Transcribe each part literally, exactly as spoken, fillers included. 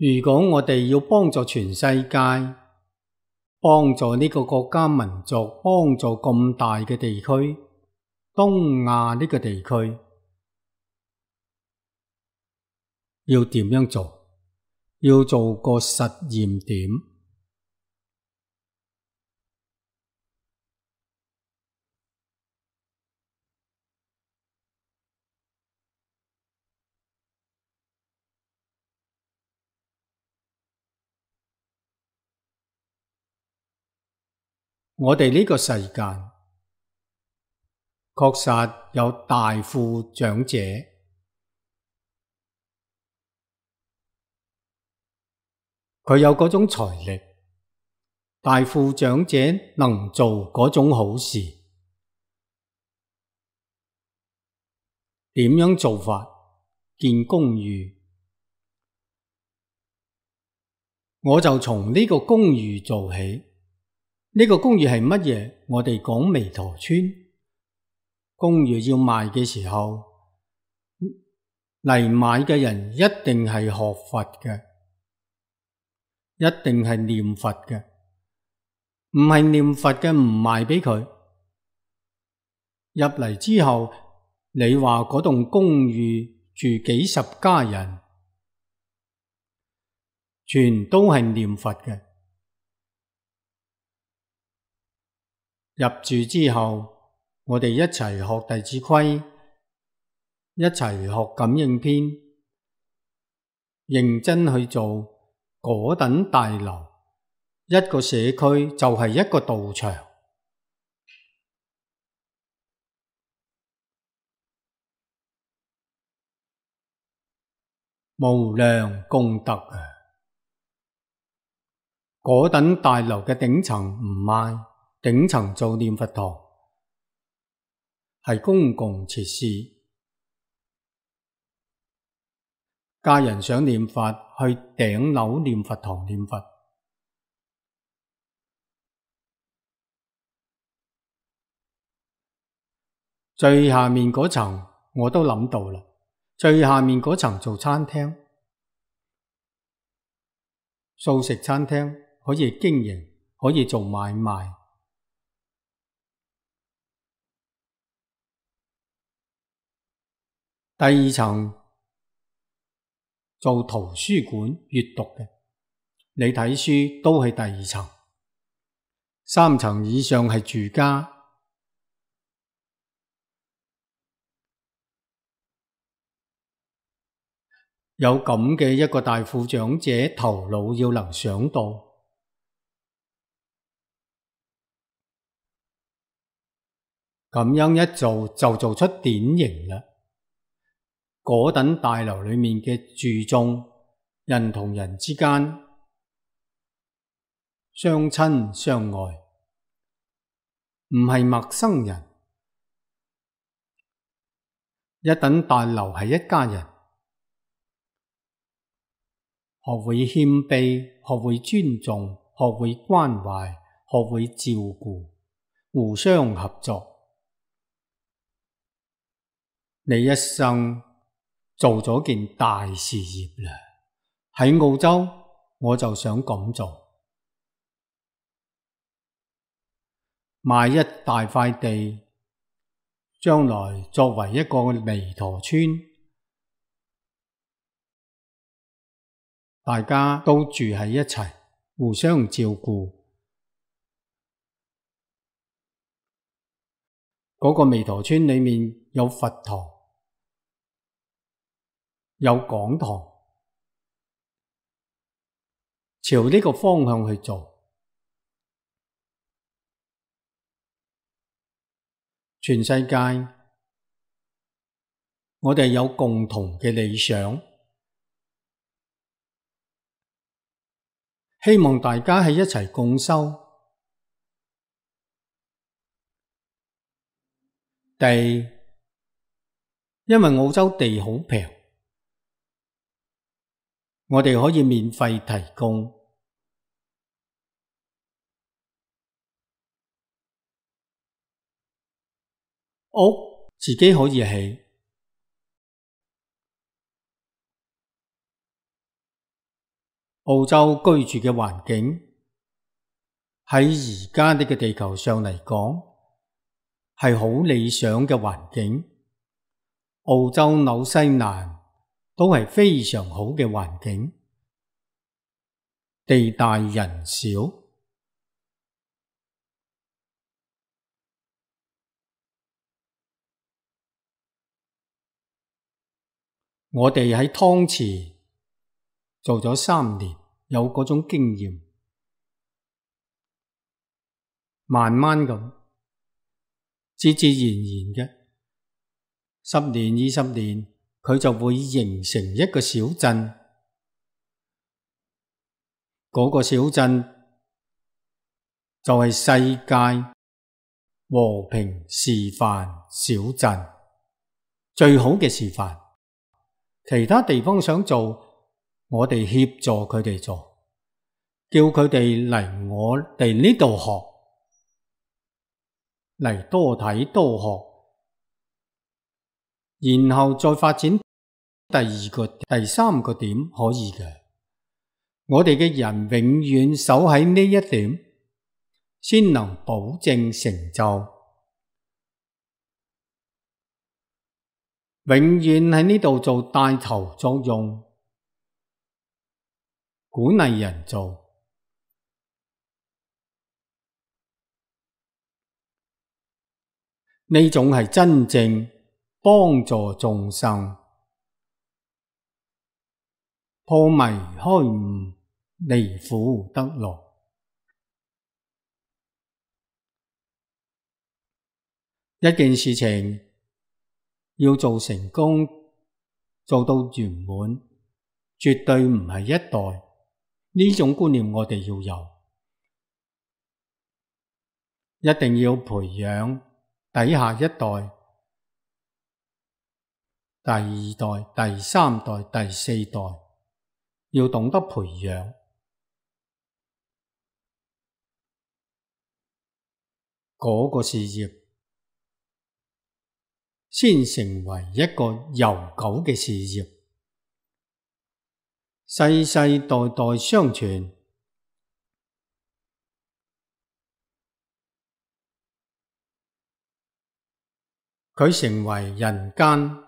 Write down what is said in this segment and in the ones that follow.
如果我哋要幫助全世界，幫助呢個國家民族，幫助咁大嘅地區，東亞呢個地區，要點樣做？要做個實驗點。我哋呢個世界確實有大富長者，佢有嗰種財力，大富長者能做嗰種好事。點樣做法？建公寓，我就從呢個公寓做起。呢個公寓係乜嘢？我哋講彌陀村。公寓要賣嘅時候，嚟買嘅人一定係學佛嘅，一定係念佛嘅。唔係念佛嘅唔賣俾佢。入嚟之後，你話嗰棟公寓住幾十家人，全都係念佛嘅。入住之後，我哋一齊學弟子規，一齊學感應篇，認真去做嗰等大樓。一個社區就係一個道場，無量功德啊！嗰等大樓嘅頂層唔賣。頂層做念佛堂，係公共設施。家人想念佛，去頂樓念佛堂念佛。最下面嗰層我都諗到啦，最下面嗰層做餐廳，素食餐廳可以經營，可以做買賣。第二層做圖書館閱讀嘅，你睇書都係第二層。三層以上係住家。有咁嘅一個大富長者，頭腦要能想到，咁樣一做就做出典型啦。嗰等大樓裏面嘅住眾，人同人之間相親相愛，唔係陌生人。一等大樓係一家人，學會謙卑，學會尊重，學會關懷，學會照顧，互相合作。你一生做咗件大事業啦！喺澳洲，我就想咁做，買一大塊地，將來作為一個彌陀村，大家都住喺一齊，互相照顧。嗰個彌陀村裏面有佛堂，有講堂，朝呢個方向去做。全世界，我哋有共同嘅理想，希望大家喺一齊共修。地，因為澳洲地好平，我哋可以免費提供。屋自己可以起，澳洲居住嘅環境喺而家呢個地球上嚟講係好理想嘅環境，澳洲、紐西蘭都係非常好嘅環境，地大人少。我哋喺湯池做咗三年，有嗰種經驗，慢慢咁，自自然然嘅，十年二十年，佢就會形成一個小鎮。嗰個小鎮就係世界和平示範小鎮，最好嘅示範。其他地方想做，我哋協助佢哋做，叫佢哋嚟我哋呢度學，嚟多睇多學，然後再發展第二個、第三個點可以嘅。我哋嘅人永遠守喺呢一點，先能保證成就。永遠喺呢度做帶頭作用，鼓勵人做。呢種係真正幫助眾生，破迷開悟，離苦得樂。一件事情要做成功，做到圓滿，絕對唔係一代。呢種觀念我哋要有，一定要培養底下一代、第二代、第三代、第四代，要懂得培養。嗰個事業先成為一個悠久嘅事業，世世代代相傳。佢成為人間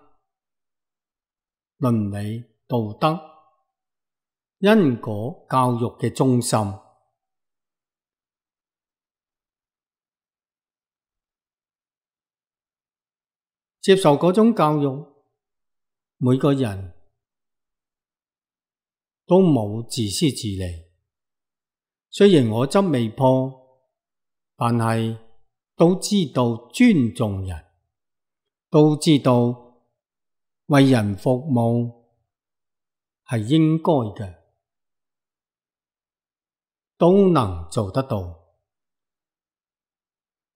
倫理、道德、因果教育嘅中心。接受嗰種教育，每個人都冇自私自利。雖然我執未破，但係都知道尊重人，都知道為人服務係應該嘅，都能做得到，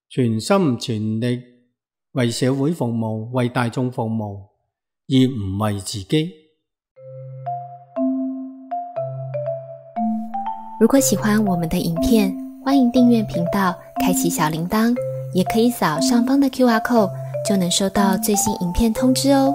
全心全力為社會服務，為大眾服務，而唔為自己。如果喜歡我們的影片，歡迎訂閱頻道，開啟小鈴鐺，也可以掃上方的 Q R code，就能收到最新影片通知哦。